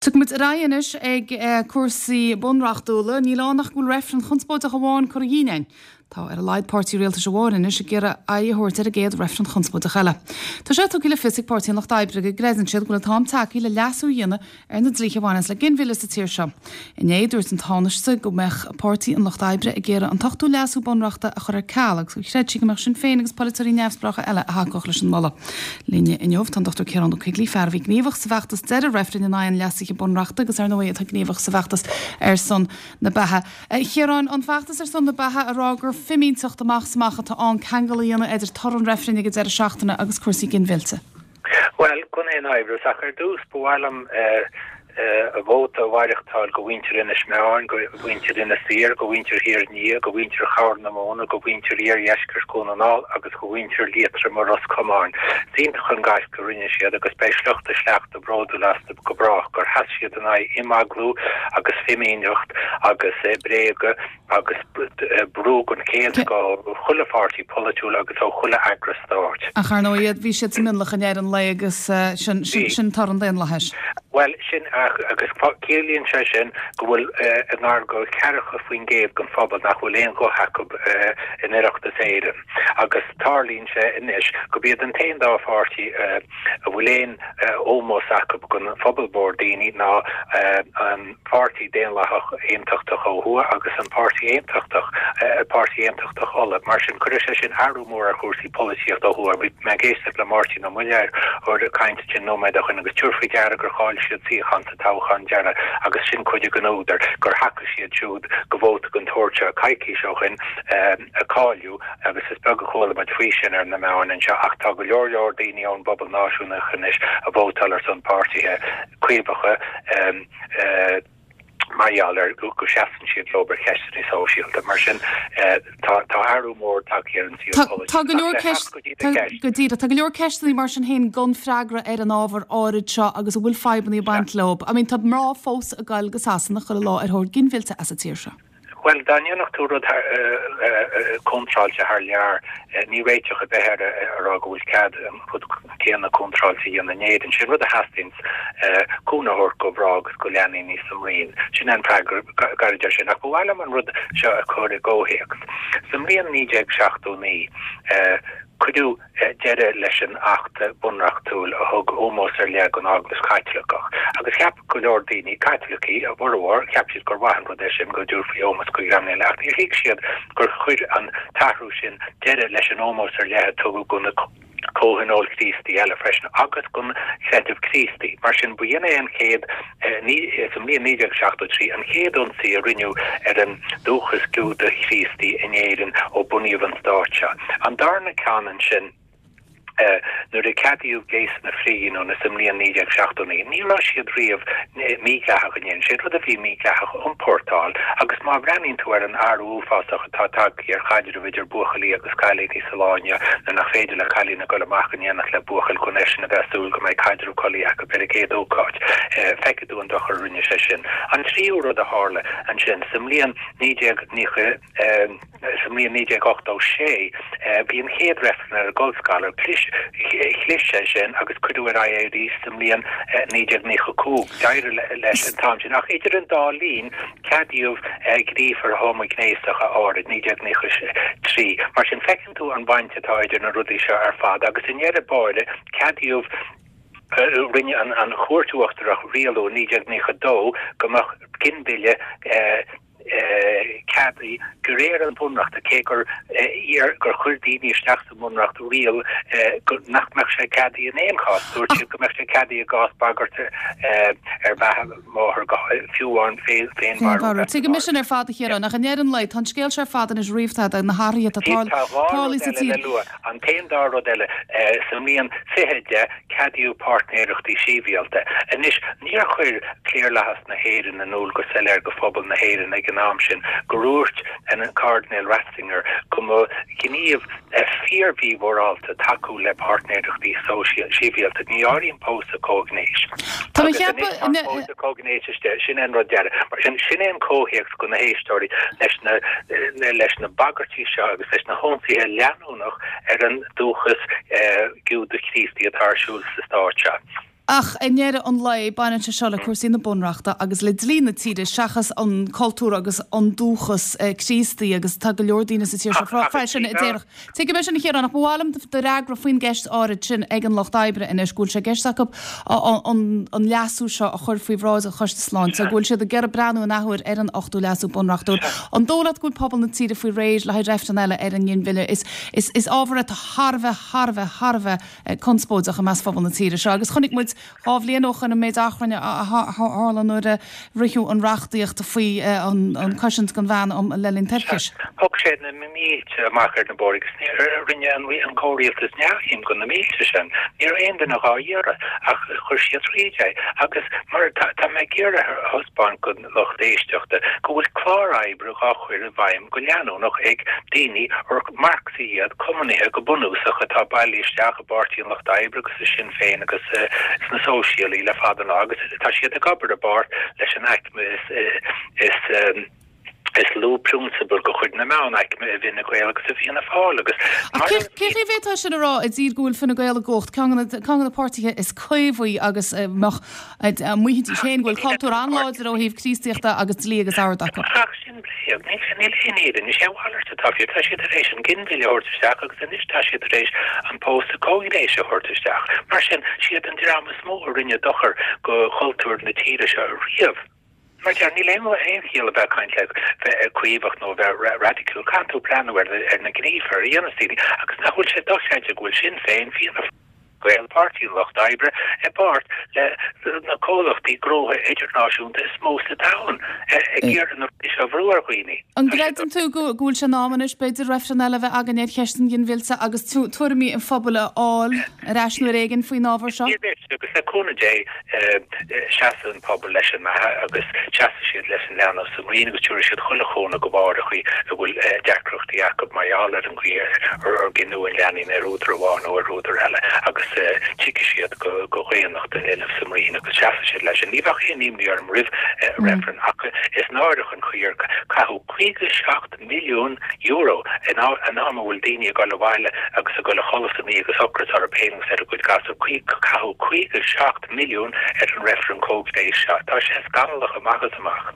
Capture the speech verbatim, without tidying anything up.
Tiocfaidh muid ar aghaidh anois ag cúrsaí bunreachtúla. Níl ann ach go bhfuil reifreann chonspóideach amháin curtha dínn againn. Tá ar a laghad páirtí rialtais amháin anois ag iarraidh aghaidh a thabhairt ar an gcéad reifreann chonspóideach eile. Tá sé tugtha le fios ag Páirtí an Lucht Oibre go gcreideann siad go bhfuil an t-am tagtha le leasú a dhéanamh ar na dlíthe a bhaineanns le ginmhilleadh sa tír seo. Inné dúirt an Tánaiste go mbeadh Páirtí an Lucht Oibre ag iarraidh an t-ochtú leasú bunreachta a chur ar ceal agus gur chreid sí go mbeadh Sinn Féin agus polaiteoirí neamhspleácha eile a thacódh leis an moladh. Linne inniu tá an Dr Ciarán Ó Coigligh fear a bhí gníomhach sa bhfeachtas deireadh reifrinn in aghaidh an leasaithe bunreachta agus ar ndóigh atá gníomhach sa bhfeachtas ar son na beatha. Chiaráin an feachtas ar son na beatha a rá gur fimínteacht amach is amach atá ann ceangal a dhéanamh idir toradh an reifrinn ag an deireadh seachtaine agus cúrsaí ginmhillte. Well gan aon amhras ach ar dtús ba mhaith liom a vóta a mhaireachtáil go mhuintir Inis Meáin, go mhuintir Inis Oírr, go mhuintir Thír an Fhia, go mhuintir Chorr na Móna, go mhuintir iardheisceart Dhún na nGall agus go mhuintir Liatroma Ros Comáin. Is iontach an gaisce a rinne siad agus beidh sliocht a sleachta bródúil astu go brách gur sheas siad in aghaidh imeaglú agus fimíneacht agus bréaga agus brú den chéad scoth ó chuile pháirtí polaitiúil agus ó chuile eagras stáit. Ach ar ndóigh bhí siad sa mionlach i ndeireadh an lae agus sin sin toradh an daonlathais. Well sin agus ciallaíonn sé sin go bhfuil i ngar do cheathracha faoin gcéad den phobal nach bhfuil aon ghuth acu in Oireachtas Éireann agus tarlaíonn sé anois gurb iad an t-aon dá pháirtí a bhfuil aon ómós acu don phobal mór daoine ná an Páirtí Daonlathach Aontachtach ó thuaidh agus an Páirtí Aontachtach Páirtí Aontachtach Uladh. Mar sin cuirfidh sé sin athrú mór ar chúrsaí polaitíochta ó thuaidh. Bhí mé ag éisteacht le Máirtín Ó Muilleoir ag caint ansin nóiméad ó shin agus tabhair faoi deara gur chaill siad suíochán sa toghchán deiridh agus sin cuid den údar gur thacaigh siad siúd go vóta den tsórt seo coicís ó shin a cailleadh agus is beag a chuala muid faoi sin ar na meáin anseo ach tá go leor leor daoine ón bpobal náisiúnach anois a vótáil ar son páirtithe caomhacha mar gheall ar go seasann siad leo ar cheisteanna sóisialta. Mar sin tá tá athrú mór tagtha ar an saol Tá go leor ceist go díreach tá go leor ceisteanna mar sin féin gan freagra ar an ábhar áirid seo agus a bhfuil fadhbanna ag baint leo. I mean tá mná fós ag dul go Sasana chuile lá ar thóir ginmhillte as an tír seo. Well dá ndéanfadh tú rud contráilte thar lear ní réiteach a bheith ar a rá go bhfuil cead an rud céanna contráilte a dhéanamh in Éirinn. Sin rud a theastaíonn cúnamh a thabhairt do mhná agus do leanaí níos sa mbraon. Sin an freagra gairid air sin. Ach ba mhaith liom an rud seo a chur i gcomhthéacs. Sa mbliain naoi déag seachtó naoi cuireadh deireadh leis an Acht Bunreachtúil a thug ómós ar leith don Eaglais Chaitliceach agus cheap go leor daoine, Caitlicigh a bhformhór, cheap siad gur mhaith an rud é sin go dtabharfaí ómós do dhreamanna eile ach níor thuig siad gur chuir an t-athrú sin deireadh leis an ómós ar leith a tugadh do na comhthionóil Chríostaí eile freisin agus don chreideamh Críostaí. Mar sin, ba shin é an chéad, sa mbliain naoi déag seachtó trí, an chéad ionsaí a rinneadh ar an dúchas Giúdach-Chríostaí in Éirinn ó bunaíodh an stát seo. An darna ceann ansin, nuair a ceadaíodh gléasanna frithghiniúna sa mbliain naoi déag seachtó naoi, ní raibh siad riamh mídhleathach in Éirinn. Sé an rud a bhí mídhleathach a iompórtáil agus má bhreathnaíonn tú ar an athrú uafásach atá tagtha ar chaidreamh idir buachaillí agus cailíní sa lá inniu nuair nach féidir le cailín a dhul amach in éineacht le buachaill gan eisean a bheith ag súil go mbeidh caidreamh collaí acu ar an gcéad ócáid. Feicfidh tú an dochar a rinne sé sin. An tríú rud a tharla ansin, sa mbliain naoi déag naocha, sa mbliain naoi déag ochtó sé, bhí an chéad reifreann ar an gcolscaradh. Chlis sé sin agus cuireadh ar aghaidh é arís sa mbliain naoi déag naocha cúig. D'éirigh leis an t-am sin. Ach idir an dá linn, Ceadaíodh gníomhartha homaighnéasacha áirid, naoi déag naocha trí. Mar sin, feiceann tú an bhaint atá idir na rudaí seo ar fad agus i ndeireadh báire, ceadaíodh, rinne an Chúirt Uachtarach rialú i naoi déag naocha dó go mbeadh ginmhilleadh ceadaithe de réir an Bhunreachta, cé gur gur chuir daoine isteach sa mBunreacht riail nach mbeadh sé ceadaithe in aon chás. Dúirt siad go mbeadh sé ceadaithe i gcás bagairt ar bheatha máthar, fiú amháin féinmharú. Tuigim sin ar fad a Chiaráin, ach i ndeireadh an lae, tá an scéal seo ar fad anois ríomhta de na hathruithe atá Tá dhá rud tarlaithe sa eile le tír. lua. An t-aon dá rud eile, sa mbliain fiche deich, ceadaíodh páirtnéireachtaí sibhialta. Anois, níor chuir cliarlathas na hÉireann in iúl go soiléir go phobal na hÉireann ag an am sin gur dhúirt an Cairdinéal Ratzinger go mba ghníomh fíor-mhímhorálta tacú le páirtnéireachtaí sibhialta. Ní áirím pósadh comhghnéis. Tá mé Agus ag anois tá an ceapadh. pósadh comhghnéis istigh. Sin é an rud deiridh. Mar sin, sin é an comhthéacs do na héisteoirí leis na leis na bagairtí seo agus leis na hionsaithe leanúnach ar an dúchas Giúdach Críostaí atá ar siúl sa stát seo. Ach i ndeireadh an lae, baineann sé seo le cúrsaí na bunreachta agus le dlí na tíre seachas an cultúr agus an dúchas Críostaí agus tá go leor daoine sa tír seo freisin a déarfadh. Tuigim é sin a Chiaráin, ach ba mhaith liom do fhreagra faoin gceist áirid sin ag an Lucht Oibre anois, go bhfuil sé i gceist acu an leasú seo a chur faoi bhráid an Choiste Sláinte, go bhfuil siad ag iarraidh breathnú an athuair ar an ochtú leasú bunreachtúil. An dóigh leat go bhfuil pobal na tíre faoi réir le haghaidh reifreann eile ar an nginmhilleadh? Is ábhar atá thar a bheith, thar a bheith, thar a bheith conspóideach i measc phobal na tíre seo agus chonaic muid dhá bhliain ó shoin an méid achrainn a tharla nuair a ritheadh an reachtaíocht faoi an cosaint don bhean le linn toirchis. Thug sé na mílte amach ar na bóithre agus rinne an comhrialtas neamhshuim de na mílte sin. Ní raibh aon duine dhá iarraidh ach chuir siad tríd é agus mar tá mé ag iarraidh a thaispeáint don lucht éisteachta go bhfuil clár oibre dhá chur i bhfeidhm go leanúnach ag daoine ar Marxaigh iad, cumannaithe go bunúsach atá bailithe isteach i bPáirtí an Lucht Oibre agus i Sinn Féin agus sna Sóisialaigh le fada an lá agus tá siad ag obair i bpáirt leis an aicme is is lú prionsabal de chuid na meánaicme i bhFine Gael agus i bhFianna Fáil agus Ach cé chaoi a bhféadfá sin a rá i dtír go bhfuil Fine Gael i gcumhacht, ceann de na páirtithe is caomhaí agus a maífidís féin go bhfuil cultúr an-láidir ó thaobh Críostaíochta agus dlí agus ord acu. Ach sin bréag. Níl aon fhírinne. Is é a mhalairt atá fíor. Tá siad tar éis an ginmhilleadh a thabhairt isteach agus anois tá siad tar éis an pósadh comhghnéis a thabhairt isteach. Mar sin, siad an dream is mó a rinne dochar go chultúr na tíre seo riamh. Mar deir, níl aon chiall a bheith ag caint le bheith caomhach nó a bheith raidiciúil. Caithfidh tú breathnú ar na gníomhartha a dhéanas daoine agus nach bhfuil sé dochreidte go bhfuil Sinn Féin, Fianna Gael, Páirtí an Lucht Oibre, i bpáirt le na comhlachtaí gnótha idirnáisiúnta is mó sa domhan ag iarraidh na rudaí seo a bhrú ar dhaoine. An gcreideann tú go bhfuil sé in am anois, b'fhéidir, reifreann eile a bheith againn ar cheist an ghinmhillte agus tuairimí an phobail a fháil ar ais uair éigin faoin ábhar seo? Agus le cúnamh Dé, seasfaidh an pobal leis an mbeatha agus seasfaidh siad leis an leanbh sa mbroinn agus tabharfaidh siad chuile chúnamh do mháithreachaí a bhfuil deacrachtaí acu mar gheall ar an gcaoi ar gineadh an leanbhín ar údar amháin nó ar údar eile agus tiocfaidh siad go dhaonnacht an linbh sa mbroinn agus seasfaidh siad leis sin. Ní bheadh aon imní orm roimh reifreann ach is náireach an chaoi ar caitheadh caoga seacht milliún euro in am a bhfuil daoine ag dul abhaile agus ag dul a chodladh san oíche agus ocras orthu féin agus ar a gcuid gasúr. Caitheadh caoga seacht milliún ar an reifreann comhghnéis seo. Tá sé scannalach amach is amach.